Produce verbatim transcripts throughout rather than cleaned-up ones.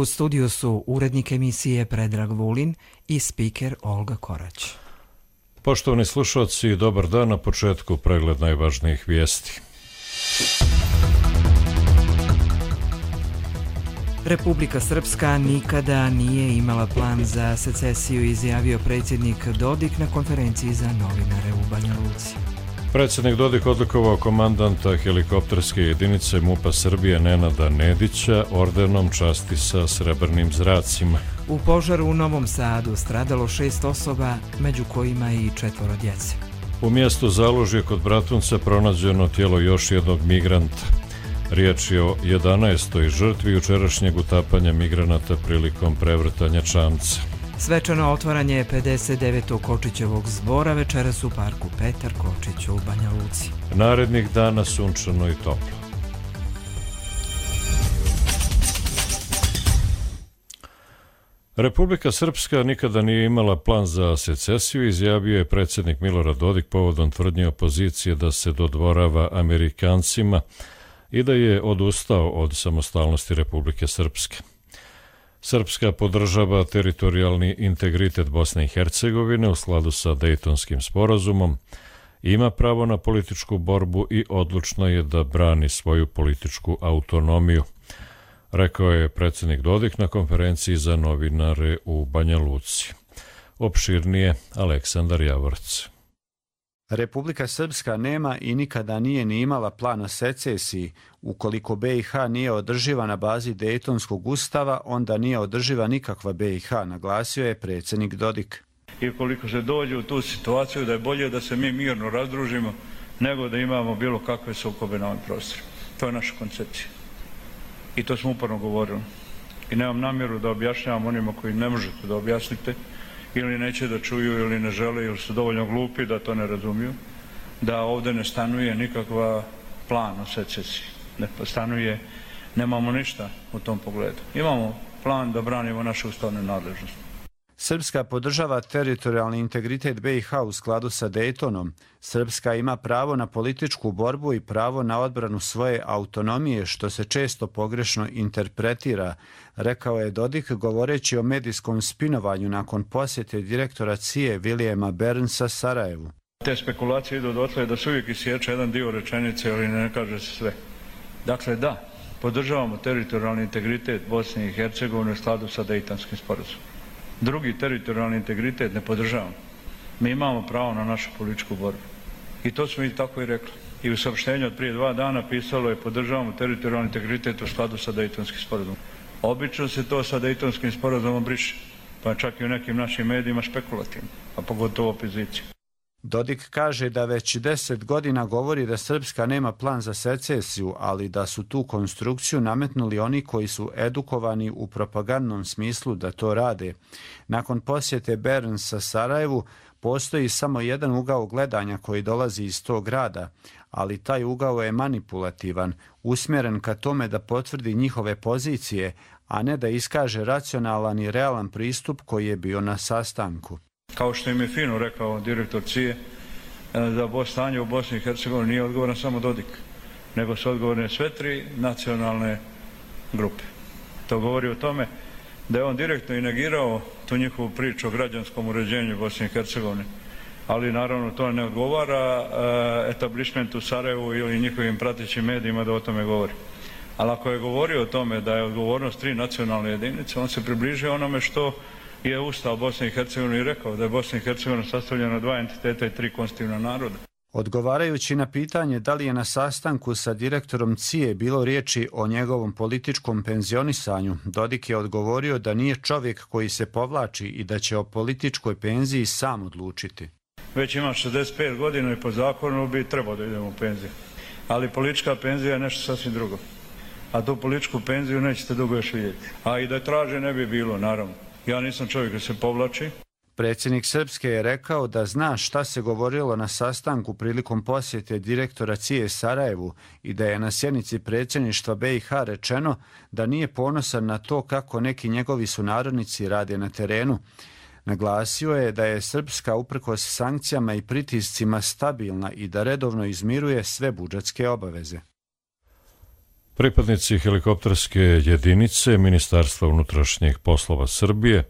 U studiju su urednik emisije Predrag Vulin i spiker Olga Korać. Poštovani slušalci, dobar dan, na početku pregled najvažnijih vijesti. Republika Srpska nikada nije imala plan za secesiju, izjavio predsjednik Dodik na konferenciji za novinare u Banja Luci. Predsjednik Dodik odlikovao komandanta helikopterske jedinice MUP-a Srbije Nenada Nedića ordenom časti sa srebrnim zracima. U požaru u Novom Sadu stradalo šest osoba, među kojima i četvoro djece. U mjestu Zalužje kod Bratunca pronađeno tijelo još jednog migranta. Riječ je o jedanaestoj žrtvi jučerašnjeg utapanja migranata prilikom prevrtanja čamca. Svečano otvaranje pedeset devetog Kočićevog zbora večeras u parku Petar Kočić u Banja Luci. Narednih dana sunčano i toplo. Republika Srpska nikada nije imala plan za secesiju, izjavio je predsjednik Milorad Dodik povodom tvrdnje opozicije da se dodvorava Amerikancima i da je odustao od samostalnosti Republike Srpske. Srpska podržava teritorijalni integritet Bosne i Hercegovine u skladu sa Dejtonskim sporazumom, ima pravo na političku borbu i odlučna je da brani svoju političku autonomiju, rekao je predsjednik Dodik na konferenciji za novinare u Banja Luci. Opširnije Aleksandar Javorec. Republika Srpska nema i nikada nije ni imala plan o secesiji. Ukoliko B i H nije održiva na bazi Dejtonskog ustava, onda nije održiva nikakva B i H, naglasio je predsjednik Dodik. I ukoliko se dođe u tu situaciju da je bolje da se mi mirno razdružimo nego da imamo bilo kakve sukobe na ovom prostoru. To je naša koncepcija. I to smo uporno govorili. I nemam namjeru da objašnjavam onima koji ne možete da objasnite, ili neće da čuju, ili ne žele, ili su dovoljno glupi da to ne razumiju, da ovdje ne stanuje nikakva plan o secesiji. Ne stanuje, nemamo ništa u tom pogledu. Imamo plan da branimo naše ustavne nadležnosti. Srpska podržava teritorijalni integritet B i H u skladu sa Dejtonom. Srpska ima pravo na političku borbu i pravo na odbranu svoje autonomije, što se često pogrešno interpretira, rekao je Dodik govoreći o medijskom spinovanju nakon posjete direktora C I E Vilijema Bernsa Sarajevu. Te spekulacije idu dotle da se uvijek isječe jedan dio rečenice, ali ne kaže se sve. Dakle, da, podržavamo teritorijalni integritet Bosne i Hercegovine u skladu sa Dejtonskim sporazumom. Drugi teritorijalni integritet ne podržavamo. Mi imamo pravo na našu političku borbu. I to smo i tako i rekli. I u saopštenju od prije dva dana pisalo je podržavamo teritorijalni integritet u skladu sa Dejtonskim sporazumom. Obično se to sa Dejtonskim sporazumom briše, pa čak i u nekim našim medijima špekulativno, a pogotovo opoziciju. Dodik kaže da već deset godina govori da Srpska nema plan za secesiju, ali da su tu konstrukciju nametnuli oni koji su edukovani u propagandnom smislu da to rade. Nakon posjete Bernsa Sarajevu postoji samo jedan ugao gledanja koji dolazi iz tog grada, ali taj ugao je manipulativan, usmjeren ka tome da potvrdi njihove pozicije, a ne da iskaže racionalan i realan pristup koji je bio na sastanku. Kao što im je fino rekao direktor C I E, da stanje u Bosni i Hercegovini nije odgovoran samo Dodik, nego su odgovorne sve tri nacionalne grupe. To govori o tome da je on direktno i negirao tu njihovu priču o građanskom uređenju Bosne i Hercegovine, ali naravno to ne odgovara etablišmentu Sarajevu ili njihovim pratećim medijima da o tome govori. Ali ako je govorio o tome da je odgovornost tri nacionalne jedinice, on se približio onome što je Ustav Bosne i Hercegovine i rekao, da je Bosna i Hercegovina sastavljena dva entiteta i tri konstitutivna naroda. Odgovarajući na pitanje da li je na sastanku sa direktorom C I E bilo riječi o njegovom političkom penzionisanju, Dodik je odgovorio da nije čovjek koji se povlači i da će o političkoj penziji sam odlučiti. Već imam šezdeset pet godina i po zakonu bi trebao da idemo u penziju. Ali politička penzija je nešto sasvim drugo. A tu političku penziju nećete dugo još vidjeti. A i da je traže ne bi bilo, naravno. Ja nisam čovjek koji se povlači. Predsjednik Srpske je rekao da zna šta se govorilo na sastanku prilikom posjete direktora C I E Sarajevu i da je na sjednici predsjedništva B i H rečeno da nije ponosan na to kako neki njegovi sunarodnici rade na terenu. Naglasio je da je Srpska uprkos sankcijama i pritiscima stabilna i da redovno izmiruje sve budžetske obaveze. Pripadnici helikopterske jedinice Ministarstva unutrašnjih poslova Srbije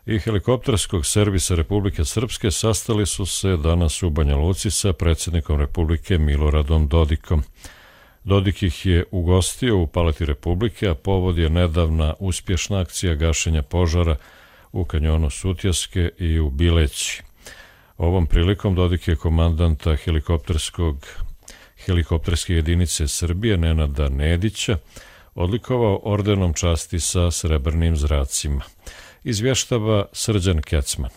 i helikopterskog servisa Republike Srpske sastali su se danas u Banja Luci sa predsjednikom Republike Miloradom Dodikom. Dodik ih je ugostio u Palati Republike, a povod je nedavna uspješna akcija gašenja požara u kanjonu Sutjeske i u Bileći. Ovom prilikom Dodik je komandanta helikopterskog helikopterske jedinice Srbije Nenada Nedića odlikovao ordenom časti sa srebrnim zracima. Izvještava Srđan Kecman.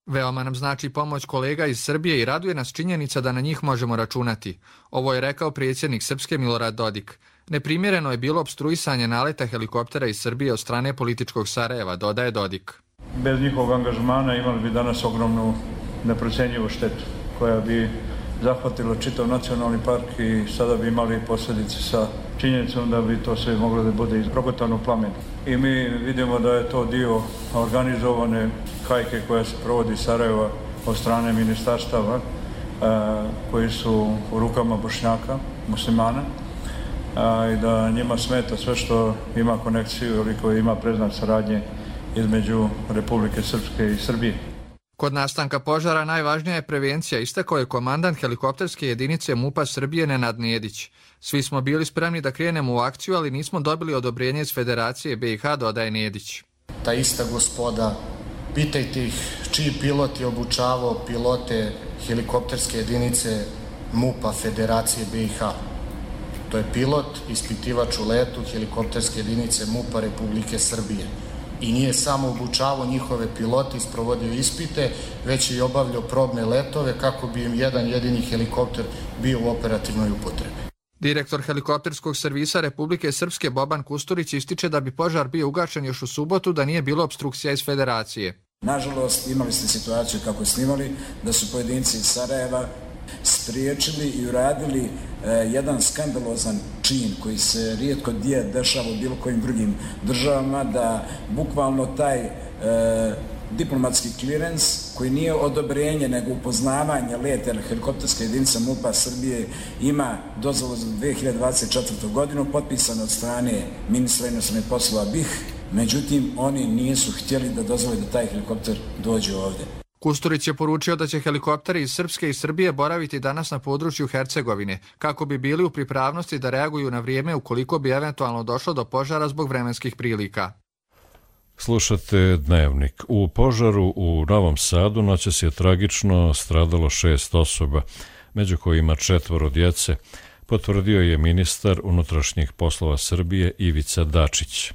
Veoma nam znači pomoć kolega iz Srbije i raduje nas činjenica da na njih možemo računati. Ovo je rekao predsjednik Srpske Milorad Dodik. Neprimjereno je bilo opstruisanje naleta helikoptera iz Srbije od strane političkog Sarajeva, dodaje Dodik. Bez njihovog angažmana imali bi danas ogromnu neprocenjivu štetu koja bi zahvatila čitav nacionalni park i sada bi imali posljedice sa činjenicom da bi to sve moglo da bude izprogotano plamen. I mi vidimo da je to dio organizovane hajke koja se provodi iz Sarajeva od strane ministarstava koji su u rukama Bošnjaka, muslimana, i da njima smeta sve što ima konekciju ili koji ima predznak saradnje između Republike Srpske i Srbije. Kod nastanka požara najvažnija je prevencija, istakao je komandant helikopterske jedinice MUP-a Srbije Nenad Nedić. Svi smo bili spremni da krenemo u akciju, ali nismo dobili odobrenje iz Federacije B i H, dodaje Nedić. Ta ista gospoda, pitajte ih čiji pilot je obučavao pilote helikopterske jedinice MUP-a Federacije B i H. To je pilot, ispitivač u letu helikopterske jedinice MUP-a Republike Srbije. I nije samo obučavao njihove pilote, isprovodio ispite, već i obavljao probne letove kako bi im jedan jedini helikopter bio u operativnoj upotrebi. Direktor helikopterskog servisa Republike Srpske Boban Kusturić ističe da bi požar bio ugašen još u subotu da nije bilo opstrukcija iz Federacije. Nažalost, imali ste situaciju kako snimali da su pojedinci iz Sarajeva spriječili i uradili e, jedan skandalozan čin koji se rijetko gdje dešava u bilo kojim drugim državama, da bukvalno taj e, diplomatski clearance koji nije odobrenje nego upoznavanje leta helikopterske jedinice MUP-a Srbije ima dozvolu za dvije hiljade dvadeset četvrtu. godinu potpisano od strane ministra inostranih poslova B i H, međutim oni nisu htjeli da dozvole da taj helikopter dođe ovdje. Kusturić je poručio da će helikopteri iz Srpske i Srbije boraviti danas na području Hercegovine, kako bi bili u pripravnosti da reaguju na vrijeme ukoliko bi eventualno došlo do požara zbog vremenskih prilika. Slušate Dnevnik. U požaru u Novom Sadu noćas je tragično stradalo šest osoba, među kojima četvoro djece, potvrdio je ministar unutrašnjih poslova Srbije Ivica Dačić.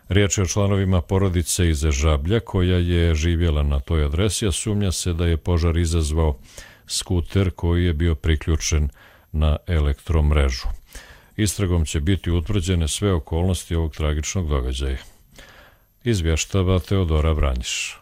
Riječ je o članovima porodice iz Žablja koja je živjela na toj adresi, a sumnja se da je požar izazvao skuter koji je bio priključen na elektromrežu. Istragom će biti utvrđene sve okolnosti ovog tragičnog događaja. Izvještava Teodora Vranjiš.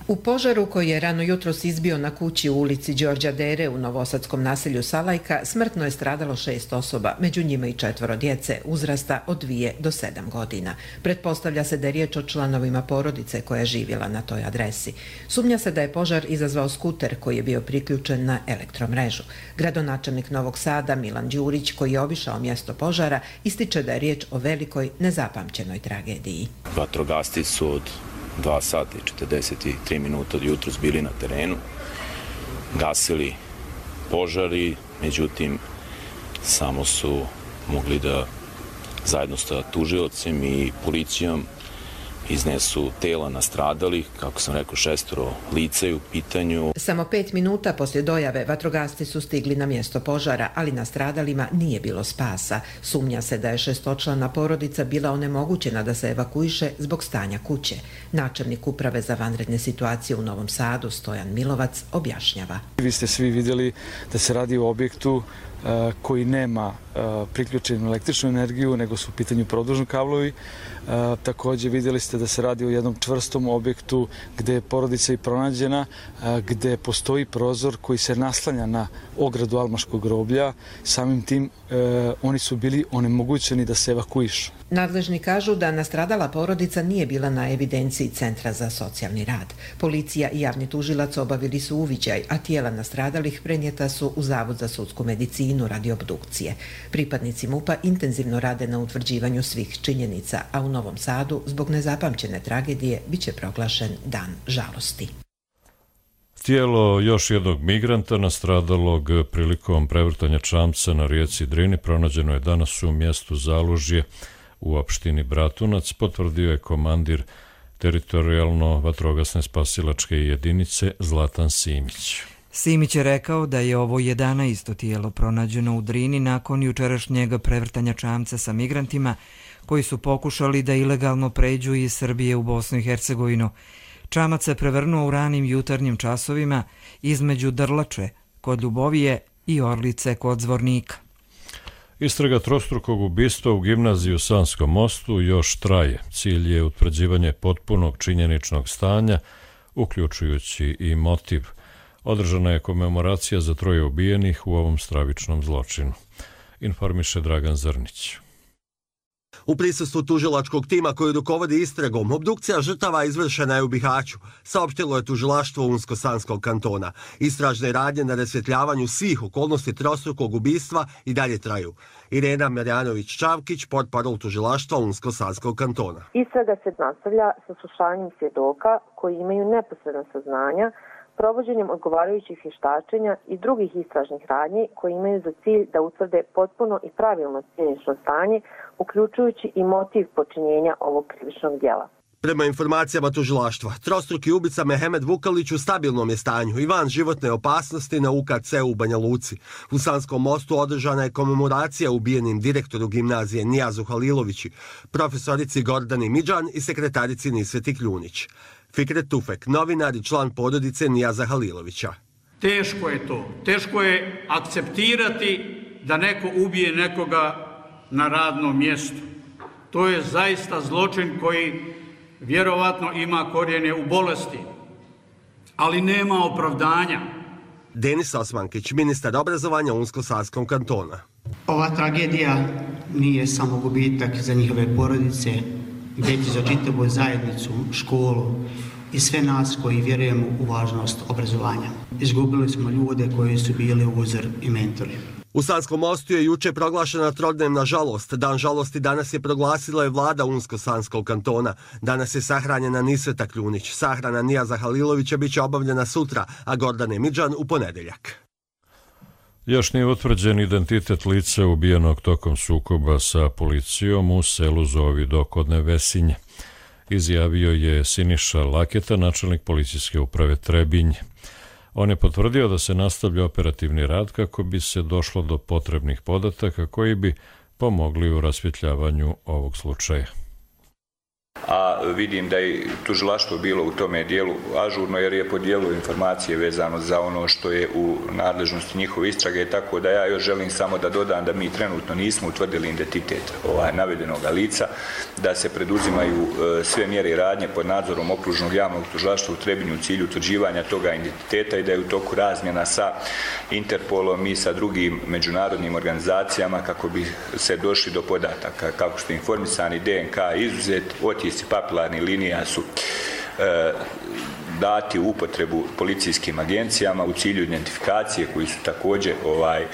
U požaru koji je rano jutros izbio na kući u ulici Đorđa Dere u novosadskom naselju Salajka smrtno je stradalo šest osoba, među njima i četvoro djece uzrasta od dvije do sedam godina. Pretpostavlja se da je riječ o članovima porodice koja je živjela na toj adresi. Sumnja se da je požar izazvao skuter koji je bio priključen na elektromrežu. Gradonačelnik Novog Sada Milan Đurić, koji je obišao mjesto požara, ističe da je riječ o velikoj nezapamćenoj tragediji. Vatrogasci su od dva sata i četrdeset tri minuta od jutros bili na terenu, gasili požari, međutim samo su mogli da zajedno sa tužiocem i policijom iznesu tela nastradalih, kako sam rekao, šestoro lica je u pitanju. Samo pet minuta poslije dojave vatrogasci su stigli na mjesto požara, ali nastradalima nije bilo spasa. Sumnja se da je šestočlana porodica bila onemogućena da se evakuiše zbog stanja kuće. Načelnik uprave za vanredne situacije u Novom Sadu Stojan Milovac objašnjava. Vi ste svi vidjeli da se radi o objektu koji nema priključenu električnu energiju, nego su u pitanju produžni kablovi. Također vidjeli ste da se radi o jednom čvrstom objektu gdje je porodica i pronađena, gdje postoji prozor koji se naslanja na ogradu Almaškog groblja. Samim tim oni su bili onemogućeni da se evakuišu. Nadležni kažu da nastradala porodica nije bila na evidenciji Centra za socijalni rad. Policija i javni tužilac obavili su uviđaj, a tijela nastradalih prenijeta su u Zavod za sudsku medicinu Zrenjaninu radi obdukcije. Pripadnici MUP-a intenzivno rade na utvrđivanju svih činjenica, a u Novom Sadu zbog nezapamćene tragedije biće proglašen dan žalosti. Tijelo još jednog migranta nastradalog prilikom prevrtanja čamca na rijeci Drini pronađeno je danas u mjestu Zalužje u opštini Bratunac, potvrdio je komandir teritorijalno vatrogasne spasilačke jedinice Zlatan Simić. Simić je rekao da je ovo jedanaesto tijelo pronađeno u Drini nakon jučerašnjeg prevrtanja čamca sa migrantima koji su pokušali da ilegalno pređu iz Srbije u Bosnu i Hercegovinu. Čamac se prevrnuo u ranim jutarnjim časovima između Drlače kod Ljubovije i Orlice kod Zvornika. Istraga trostrukog ubistva u gimnaziji u Sanskom mostu još traje. Cilj je utvrđivanje potpunog činjeničnog stanja, uključujući i motiv. Održana je komemoracija za troje ubijenih u ovom stravičnom zločinu, informiše Dragan Zrnić. U prisustvu tužilačkog tima koji rukovodi istragom, obdukcija žrtava izvršena je u Bihaću, saopštilo je tužilaštvo Unsko-Sanskog kantona. Istražne radnje na rasvjetljavanju svih okolnosti trostrukog ubistva i dalje traju. Irena Marjanović-Čavkić, portparol tužilaštva Unsko-Sanskog kantona. Istraga se nastavlja sa slušanjem svjedoka koji imaju neposredna saznanja, provođenjem odgovarajućih vještačenja i drugih istražnih radnji koji imaju za cilj da utvrde potpuno i pravilno činjenično stanje, uključujući i motiv počinjenja ovog krivičnog djela. Prema informacijama tužilaštva, trostruki ubica Mehemed Vukalić u stabilnom je stanju i van životne opasnosti na U K C u Banja Luci. U Sanskom mostu održana je komemoracija ubijenim direktoru gimnazije Nijazu Halilovići, profesorici Gordani Midžan i sekretarici Nisveti Kljunić. Fikret Tufek, novinar i član porodice Nijaza Halilovića. Teško je to. Teško je akceptirati da neko ubije nekoga na radnom mjestu. To je zaista zločin koji vjerovatno ima korijene u bolesti, ali nema opravdanja. Denis Osmankić, ministar obrazovanja Unsko-Sanskom kantona. Ova tragedija nije samo gubitak za njihove porodice, već za čitavu zajednicu, školu i sve nas koji vjerujemo u važnost obrazovanja. Izgubili smo ljude koji su bili uzor i mentori. U Sanskom mostu je juče proglašena trodnevna žalost. Dan žalosti danas je proglasila je vlada Unsko-Sanskog kantona. Danas je sahranjena Nisveta Kljunić. Sahrana Nijaza Halilovića biće obavljena sutra, a Gordane Midžan u ponedeljak. Još nije utvrđen identitet lica ubijenog tokom sukoba sa policijom u selu Zovido kod Nevesinje. Izjavio je Siniša Laketa, načelnik policijske uprave Trebinje. On je potvrdio da se nastavlja operativni rad kako bi se došlo do potrebnih podataka koji bi pomogli u rasvjetljavanju ovog slučaja. A vidim da je tužilaštvo bilo u tome dijelu ažurno jer je podijelilo informacije vezano za ono što je u nadležnosti njihove istrage, tako da ja još želim samo da dodam da mi trenutno nismo utvrdili identitet ovaj navedenog lica, da se preduzimaju e, sve mjere i radnje pod nadzorom okružnog javnog tužilaštva u Trebinju u cilju utvrđivanja toga identiteta i da je u toku razmjena sa Interpolom i sa drugim međunarodnim organizacijama kako bi se došli do podataka. Kako ste informisani, D N K izuzet, otisci papilarnih linija su e, dati u upotrebu policijskim agencijama u cilju identifikacije koji su također ovaj, e,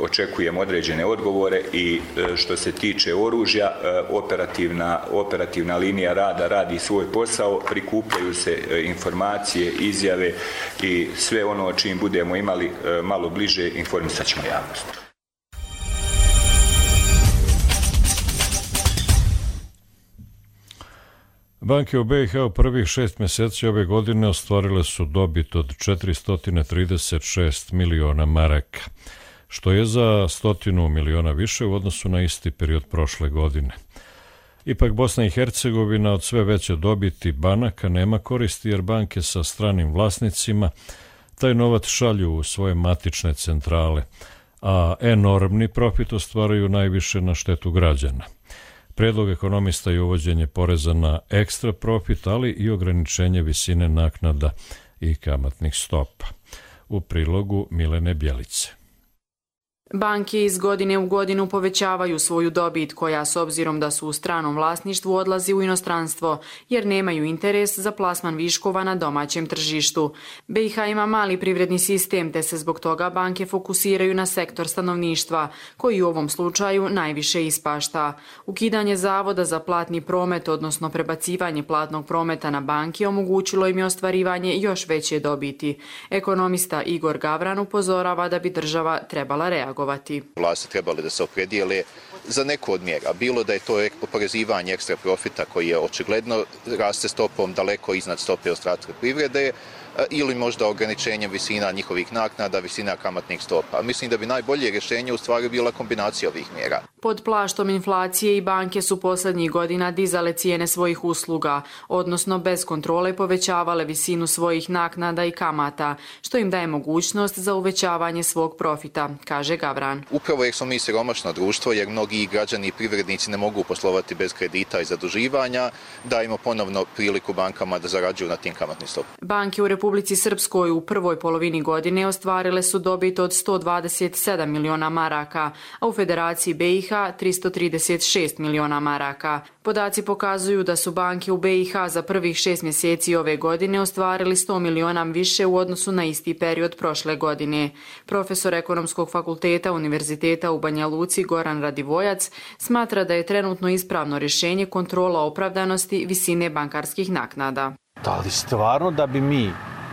očekujemo određene odgovore i e, što se tiče oružja, e, operativna, operativna linija rada radi svoj posao, prikupljaju se e, informacije, izjave i sve ono o čim budemo imali e, malo bliže informisat ćemo javnost. Banke u B i H u prvih šest mjeseci ove godine ostvarile su dobit od četiristo trideset šest miliona maraka, što je za stotinu miliona više u odnosu na isti period prošle godine. Ipak Bosna i Hercegovina od sve veće dobiti banaka nema koristi jer banke sa stranim vlasnicima taj novac šalju u svoje matične centrale, a enormni profit ostvaraju najviše na štetu građana. Predlog ekonomista je uvođenje poreza na ekstra profit, ali i ograničenje visine naknada i kamatnih stopa. U prilogu Milene Bjelice. Banke iz godine u godinu povećavaju svoju dobit koja, s obzirom da su u stranom vlasništvu, odlazi u inostranstvo jer nemaju interes za plasman viškova na domaćem tržištu. B i H ima mali privredni sistem te se zbog toga banke fokusiraju na sektor stanovništva koji u ovom slučaju najviše ispašta. Ukidanje Zavoda za platni promet, odnosno prebacivanje platnog prometa na banke, omogućilo im je ostvarivanje još veće dobiti. Ekonomista Igor Gavran upozorava da bi država trebala reagovati. Vlasti trebali da se opredijele za neku od mjera. Bilo da je to oporezivanje ekstra profita koji je očigledno raste stopom daleko iznad stope ostatka privrede, ili možda ograničenjem visina njihovih naknada, visina kamatnih stopa. Mislim da bi najbolje rješenje u stvari bila kombinacija ovih mjera. Pod plaštom inflacije i banke su posljednjih godina dizale cijene svojih usluga, odnosno bez kontrole povećavale visinu svojih naknada i kamata, što im daje mogućnost za uvećavanje svog profita, kaže Gavran. Upravo jer smo mi siromašno društvo, jer mnogi građani i privrednici ne mogu poslovati bez kredita i zaduživanja, dajemo ponovno priliku bankama da zarađuju na tim kamatnim stopama. Banke u Republici Srpskoj u prvoj polovini godine ostvarile su dobit od sto dvadeset sedam miliona maraka, a u Federaciji B i H tristo trideset šest miliona maraka. Podaci pokazuju da su banke u B i H za prvih šest mjeseci ove godine ostvarili sto miliona više u odnosu na isti period prošle godine. Profesor Ekonomskog fakulteta Univerziteta u Banja Luci Goran Radivojac smatra da je trenutno ispravno rješenje kontrola opravdanosti visine bankarskih naknada. Da li stvarno da bi mi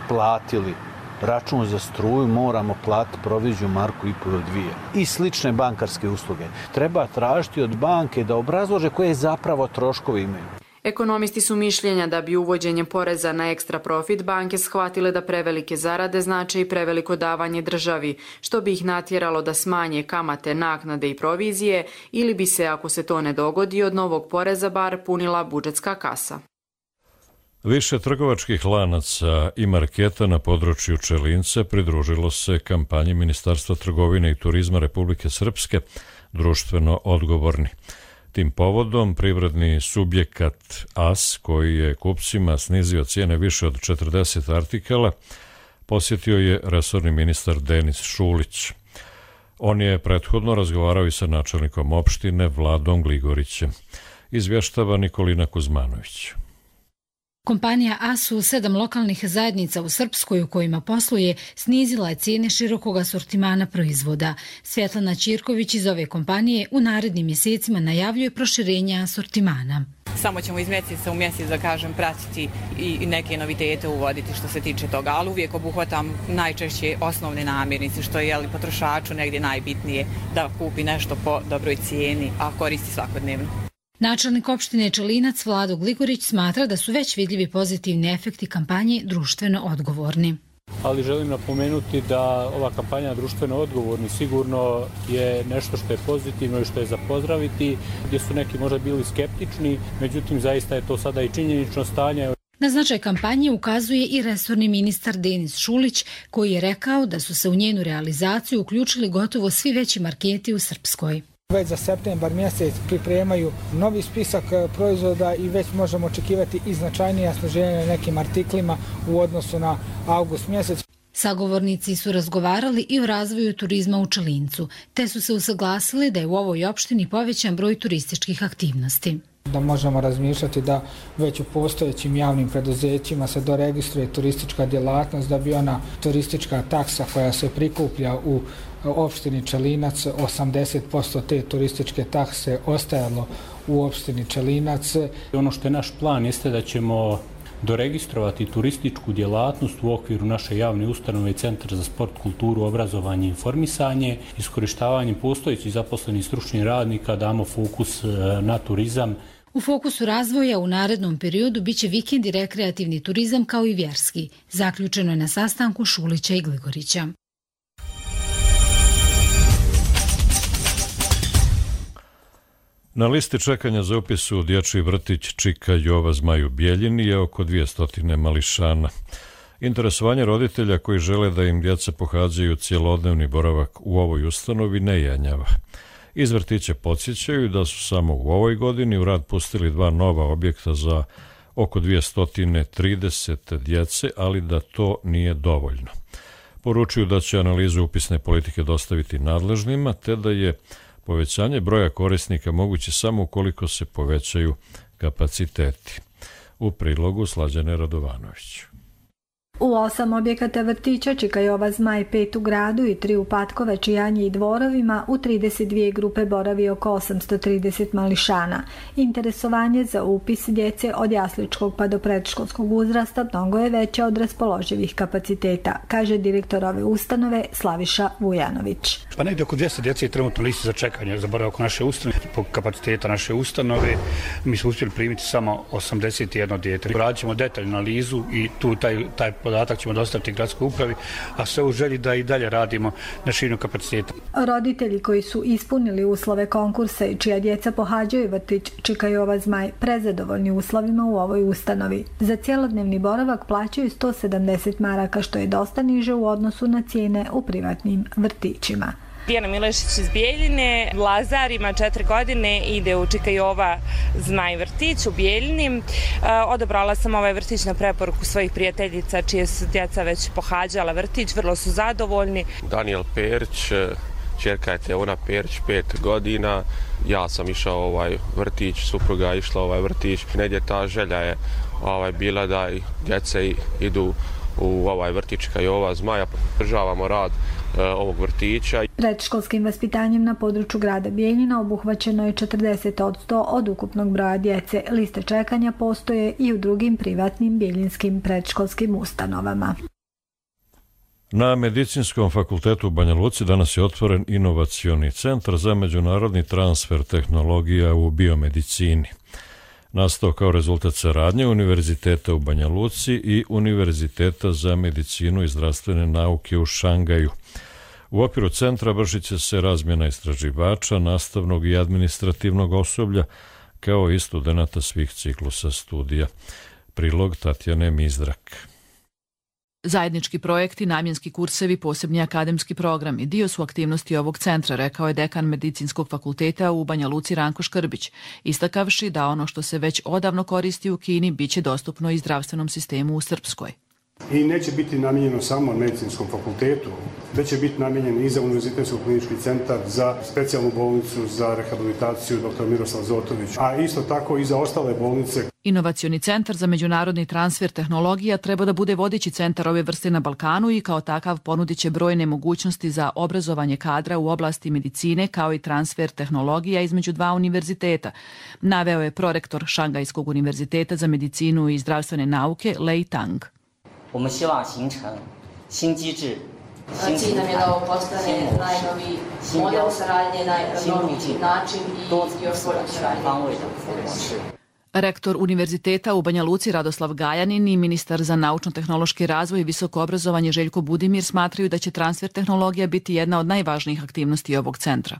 platili račun za struju moramo platiti proviziju marku i po dvije i slične bankarske usluge? Treba tražiti od banke da obrazlože koje zapravo troškovi imaju. Ekonomisti su mišljenja da bi uvođenjem poreza na ekstra profit banke shvatile da prevelike zarade znače i preveliko davanje državi, što bi ih natjeralo da smanje kamate, naknade i provizije, ili bi se, ako se to ne dogodi, od novog poreza bar punila budžetska kasa. Više trgovačkih lanaca i marketa na području Čelinca pridružilo se kampanji Ministarstva trgovine i turizma Republike Srpske društveno odgovorni. Tim povodom privredni subjekat A S, koji je kupcima snizio cijene više od četrdeset artikala, posjetio je resorni ministar Denis Šulić. On je prethodno razgovarao i sa načelnikom opštine Vladom Gligorićem. Izvještava Nikolina Kuzmanović. Kompanija A S u sedam lokalnih zajednica u Srpskoj u kojima posluje snizila je cijene širokog asortimana proizvoda. Svjetlana Ćirković iz ove kompanije u narednim mjesecima najavljuje proširenje asortimana. Samo ćemo iz mjeseca u mjesec, da kažem, pratiti i neke novitete uvoditi što se tiče toga, ali uvijek obuhvatam najčešće osnovne namirnice, što je jeli, potrošaču negdje najbitnije da kupi nešto po dobroj cijeni, a koristi svakodnevno. Načelnik opštine Čelinac Vlado Gligorić smatra da su već vidljivi pozitivni efekti kampanje društveno odgovorni. Ali želim napomenuti da ova kampanja društveno odgovorni sigurno je nešto što je pozitivno i što je za pozdraviti, gdje su neki možda bili skeptični, međutim zaista je to sada i činjenično stanje. Na značaj kampanje ukazuje i resorni ministar Denis Šulić, koji je rekao da su se u njenu realizaciju uključili gotovo svi veći marketi u Srpskoj. Već za septembar mjesec pripremaju novi spisak proizvoda i već možemo očekivati i značajnije sniženje na nekim artiklima u odnosu na avgust mjesec. Sagovornici su razgovarali i o razvoju turizma u Čelincu, te su se usaglasili da je u ovoj opštini povećan broj turističkih aktivnosti. Da možemo razmišljati da već u postojećim javnim preduzećima se doregistruje turistička djelatnost, da bi ona turistička taksa koja se prikuplja u opštini Čelinac, osamdeset posto te turističke takse ostajalo u opštini Čelinac. Ono što je naš plan jeste da ćemo doregistrovati turističku djelatnost u okviru naše javne ustanove Centar za sport, kulturu, obrazovanje i informisanje. Iskorištavanjem postojećih zaposlenih stručnih radnika damo fokus na turizam. U fokusu razvoja u narednom periodu biće vikend i rekreativni turizam kao i vjerski. Zaključeno je na sastanku Šulića i Gligorića. Na listi čekanja za upis u dječji vrtić Čika Jova Zmaju Bijeljini je oko dvjesto mališana. Interesovanje roditelja koji žele da im djeca pohađaju cjelodnevni boravak u ovoj ustanovi ne jenjava. Iz vrtića podsjećaju da su samo u ovoj godini u rad pustili dva nova objekta za oko dvjesto trideset djece, ali da to nije dovoljno. Poručuju da će analizu upisne politike dostaviti nadležnima, te da je povećanje broja korisnika moguće samo ukoliko se povećaju kapaciteti. U prilogu Slađane Radovanović. U osam objekata vrtića Čikajova Zmaj pet u gradu i tri u Patkove, Čijanji i Dvorovima u trideset dvije grupe boravi oko osamsto trideset mališana. Interesovanje za upis djece od jasličkog pa do predškolskog uzrasta mnogo je veće od raspoloživih kapaciteta, kaže direktor ove ustanove Slaviša Vujanović. Pa negdje oko dvjesto djece je trenutno listi za čekanje za boravak naše ustanove. Po kapaciteta naše ustanove mi smo uspjeli primiti samo osamdeset jedno dijete. Radit ćemo detaljnu analizu i tu taj, taj podatak ćemo dostaviti gradskoj upravi, a sve u želji da i dalje radimo na širenju kapaciteta. Roditelji koji su ispunili uslove konkursa i čija djeca pohađaju vrtić Čikajova Zmaj prezadovoljni uslovima u ovoj ustanovi. Za cjelodnevni boravak plaćaju sto sedamdeset maraka, što je dosta niže u odnosu na cijene u privatnim vrtićima. Dijana Milešić iz Bijeljine, Lazar ima četiri godine, ide u Čikajova Zmaj vrtić u Bijeljini. Odabrala sam ovaj vrtić na preporuku svojih prijateljica čije su djeca već pohađala vrtić, vrlo su zadovoljni. Daniel Perić, čerka je Teona Perić, pet godina. Ja sam išao ovaj vrtić, supruga je išla ovaj vrtić. Negdje ta želja je ovaj, bila da i djece idu u ovaj vrtić Čikajova Zmaja. Podržavamo rad ovog vrtića. Predškolskim vaspitanjem na području grada Bijeljina obuhvaćeno je četrdeset posto od ukupnog broja djece. Liste čekanja postoje i u drugim privatnim bijeljinskim predškolskim ustanovama. Na Medicinskom fakultetu u Banja Luci danas je otvoren inovacioni centar za međunarodni transfer tehnologija u biomedicini. Nastao kao rezultat saradnje Univerziteta u Banja Luci i Univerziteta za medicinu i zdravstvene nauke u Šangaju. U okviru centra vršit će se razmjena istraživača, nastavnog i administrativnog osoblja, kao i studenata svih ciklusa studija. Prilog Tatjane Mizdrak. Zajednički projekti, namjenski kursevi, posebni akademski programi dio su aktivnosti ovog centra, rekao je dekan Medicinskog fakulteta u Banja Luci Ranko Škrbić, istakavši da ono što se već odavno koristi u Kini biće dostupno i zdravstvenom sistemu u Srpskoj. I neće biti namijenjeno samo Medicinskom fakultetu, već će biti namijenjen i za Univerzitetski klinički centar, za specijalnu bolnicu, za rehabilitaciju doktor Miroslav Zotović, a isto tako i za ostale bolnice. Inovacioni centar za međunarodni transfer tehnologija treba da bude vodeći centar ove vrste na Balkanu i kao takav ponudit će brojne mogućnosti za obrazovanje kadra u oblasti medicine kao i transfer tehnologija između dva univerziteta, naveo je prorektor Šangajskog univerziteta za medicinu i zdravstvene nauke Lei Tang. Cilj nam je da ovo postane najnoviji model saradnje, najnoviji način i još bolju saradnje. Rektor Univerziteta u Banja Luci Radoslav Gajanin i ministar za naučno-tehnološki razvoj i visoko obrazovanje Željko Budimir smatraju da će transfer tehnologija biti jedna od najvažnijih aktivnosti ovog centra.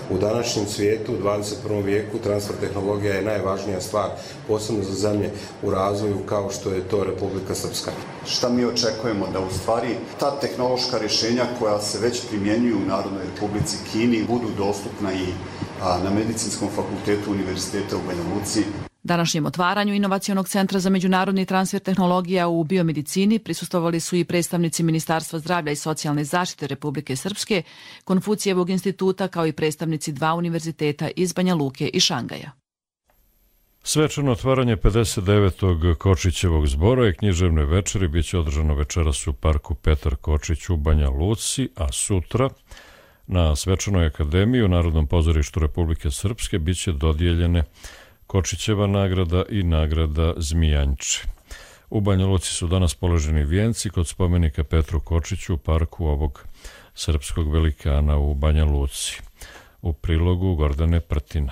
U današnjem svijetu, u dvadeset prvom vijeku, transfer tehnologija je najvažnija stvar, posebno za zemlje u razvoju kao što je to Republika Srpska. Šta mi očekujemo da u stvari ta tehnološka rješenja koja se već primjenjuju u Narodnoj Republici Kini budu dostupna i na Medicinskom fakultetu Univerziteta u Banja Luci. Današnjem otvaranju Inovacionog centra za međunarodni transfer tehnologija u biomedicini prisustvovali su i predstavnici Ministarstva zdravlja i socijalne zaštite Republike Srpske, Konfucijevog instituta kao i predstavnici dva univerziteta iz Banja Luke i Šangaja. Svečano otvaranje pedeset devetog Kočićevog zbora i književne večeri biće održano večeras u parku Petar Kočić u Banja Luci, a sutra na Svečanoj akademiji u Narodnom pozorištu Republike Srpske biće dodijeljene Kočićeva nagrada i nagrada Zmijanče. U Banja Luci su danas položeni vijenci kod spomenika Petru Kočiću u parku ovog srpskog velikana u Banja Luci. U prilogu Gordane Prtina.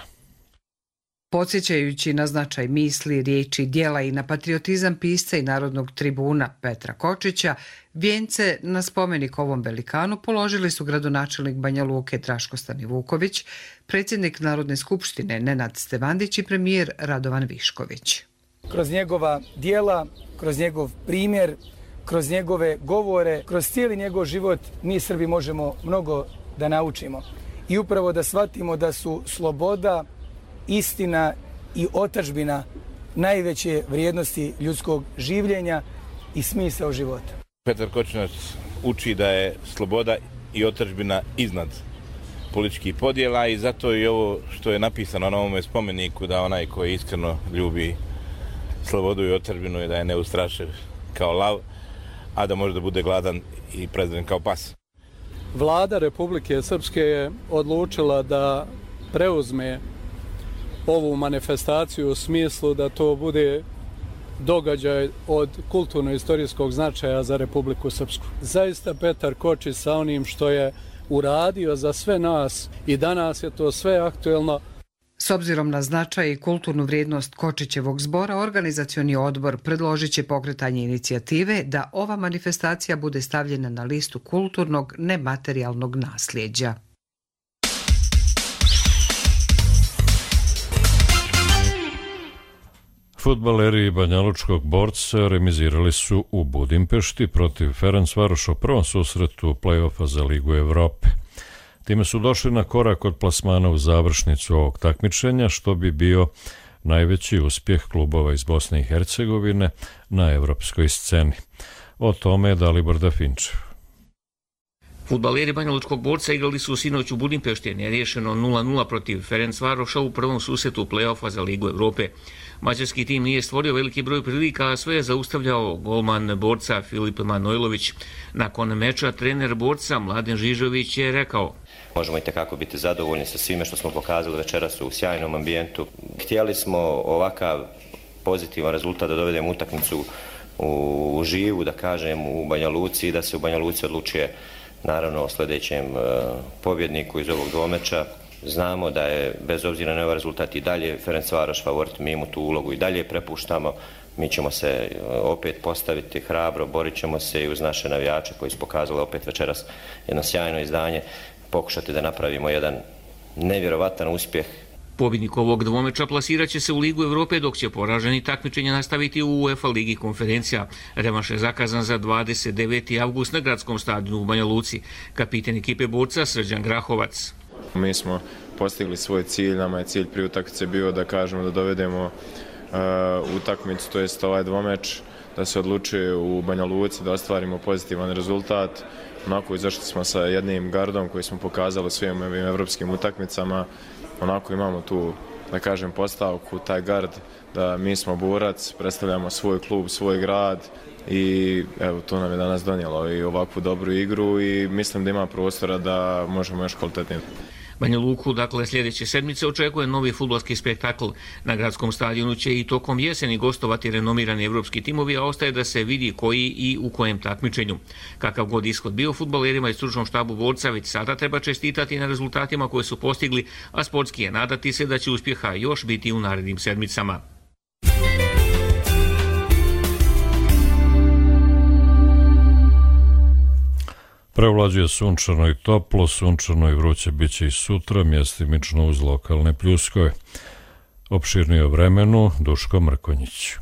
Podsjećajući na značaj misli, riječi, djela i na patriotizam pisca i narodnog tribuna Petra Kočića, vijence na spomenik ovom velikanu položili su gradonačelnik Banja Luke Draško Stanivuković, predsjednik Narodne skupštine Nenad Stevandić i premijer Radovan Višković. Kroz njegova djela, kroz njegov primjer, kroz njegove govore, kroz cijeli njegov život mi Srbi možemo mnogo da naučimo. I upravo da shvatimo da su sloboda, istina i otadžbina najveće vrijednosti ljudskog življenja i smisao života. Petar Kočinac uči da je sloboda i otadžbina iznad političkih podjela i zato i ovo što je napisano na ovome spomeniku da onaj koji iskreno ljubi slobodu i otadžbinu je da je neustrašiv kao lav, a da može da bude gladan i prezren kao pas. Vlada Republike Srpske je odlučila da preuzme ovu manifestaciju u smislu da to bude događaj od kulturno-istorijskog značaja za Republiku Srpsku. Zaista Petar Kočić sa onim što je uradio za sve nas i danas je to sve aktuelno. S obzirom na značaj i kulturnu vrijednost Kočićevog zbora, organizacioni odbor predložit će pokretanje inicijative da ova manifestacija bude stavljena na listu kulturnog nematerijalnog nasljeđa. Fudbaleri banjalučkog Borca remizirali su u Budimpešti protiv Ferencvaroša u prvom susretu play-offa za Ligu Evrope. Time su došli na korak od plasmana u završnicu ovog takmičenja, što bi bio najveći uspjeh klubova iz Bosne i Hercegovine na evropskoj sceni. O tome je Dalibor Dafinčev. Fudbaleri banjalučkog Borca igrali su sinoć u Budimpešti neriješeno nula nula protiv Ferencvaroša u prvom susretu play-offa za Ligu Evrope. Mađarski tim nije stvorio veliki broj prilika, a sve je zaustavljao golman Borca Filip Manojlović. Nakon meča trener Borca Mladen Žižović je rekao: Možemo i tekako biti zadovoljni sa svime što smo pokazali večeras u sjajnom ambijentu. Htjeli smo ovakav pozitivan rezultat da dovedemo utakmicu u živu, da kažem, u Banja Luci i da se u Banja Luci odlučuje naravno o sljedećem pobjedniku iz ovog dvomeča. Znamo da je, bez obzira na ovaj rezultat, i dalje Ferencvaroš favorit, mi mu tu ulogu i dalje prepuštamo. Mi ćemo se opet postaviti hrabro, borit ćemo se i uz naše navijače koji su pokazali opet večeras jedno sjajno izdanje, pokušati da napravimo jedan nevjerovatan uspjeh. Pobjednik ovog dvomeča plasirat će se u Ligu Evrope, dok će poraženi takmičenja nastaviti u UEFA Ligi konferencija. Revanš je zakazan za dvadeset deveti avgust na gradskom stadionu u Banja Luci. Kapiten ekipe Borca Srđan Grahovac. Mi smo postigli svoj cilj, nama je cilj pri utakmici bio da kažemo da dovedemo uh, utakmicu, to jest ovaj dvomeč, da se odlučuje u Banja Luci, da ostvarimo pozitivan rezultat. Onako izašli smo sa jednim gardom koji smo pokazali svim ovim evropskim utakmicama. Onako imamo tu, da kažem, postavku, taj gard, da mi smo Borac, predstavljamo svoj klub, svoj grad i evo, to nam je danas donijelo i ovakvu dobru igru i mislim da ima prostora da možemo još kvalitetnije. Banja Luku, dakle, sljedeće sedmice očekuje novi fudbalski spektakl. Na gradskom stadionu će i tokom jeseni gostovati renomirani evropski timovi, a ostaje da se vidi koji i u kojem takmičenju. Kakav god ishod bio, fudbalerima i stručnom štabu Borca već sada treba čestitati na rezultatima koje su postigli, a sportski je nadati se da će uspjeha još biti u narednim sedmicama. Prevlađuje sunčano i toplo, sunčano i vruće biće i sutra, mjestimično uz lokalne pljuskove. Opširnije o vremenu, Duško Mrkonjić.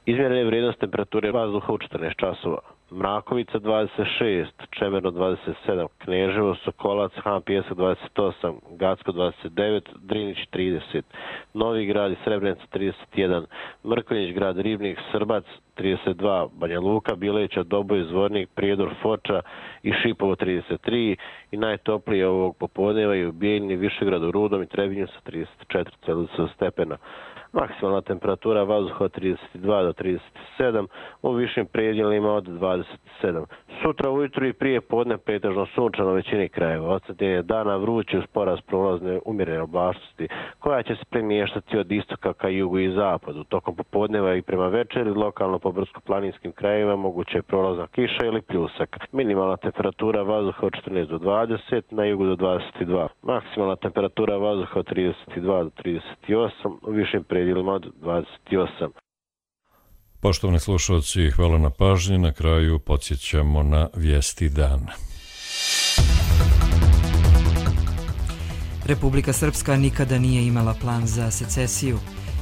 Izmjerene vrijednost temperature vazduha u četrnaest časova. Mrakovica dvadeset šest, Čemerno dvadeset sedam, Kneževo, Sokolac, Han Pijesak dvadeset osam, Gacko dvadeset devet, Drinić trideset, Novi Grad i Srebrenica trideset jedan, Mrkonjić grad, Ribnik, Srbac trideset dva, Banja Luka, Bileća, Doboj, Zvornik, Prijedor, Foča i Šipovo trideset tri i najtoplije ovog popodneva i u Bijeljini, Višegradu, Rudom i Trebinju sa trideset četiri stepena. Maksimalna temperatura vazduha od trideset dva do trideset sedam, u višim predjelima od dvadeset sedam. Sutra ujutru i prije podne pretežno sunčano u većini krajeva. Odsjetnje dana vruće uz porast prolazne umjerene oblačnosti, koja će se premještati od istoka ka jugu i zapadu. Tokom popodneva i prema večeri lokalno po brdsko-planinskim krajevima moguće je prolazna kiša ili pljusak. Minimalna temperatura vazduha od četrnaest do dvadeset, na jugu do dvadeset dva. Maksimalna temperatura vazduha od trideset dva do trideset osam, u višim predjelima od dvadeset osam. Poštovani slušalci, hvala na pažnji. Na kraju podsjećamo na vijesti dana. Republika Srpska nikada nije imala plan za secesiju,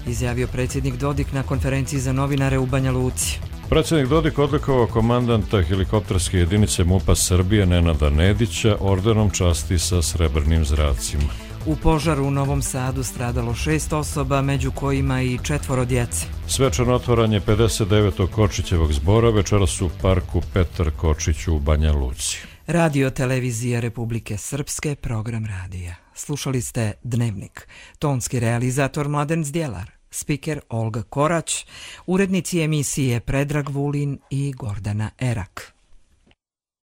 izjavio predsjednik Dodik na konferenciji za novinare u Banja Luci. Predsjednik Dodik odlikovao komandanta helikopterske jedinice MUP-a Srbije Nenada Nedića ordenom časti sa srebrnim zracima. U požaru u Novom Sadu stradalo šest osoba, među kojima i četvoro djece. Svečano otvaranje pedeset devetog Kočićevog zbora večeras u parku Petar Kočić u Banja Luci. Radio televizija Republike Srpske, program radija. Slušali ste Dnevnik. Tonski realizator Mladen Zdjelar, spiker Olga Korać, urednici emisije Predrag Vulin i Gordana Erak.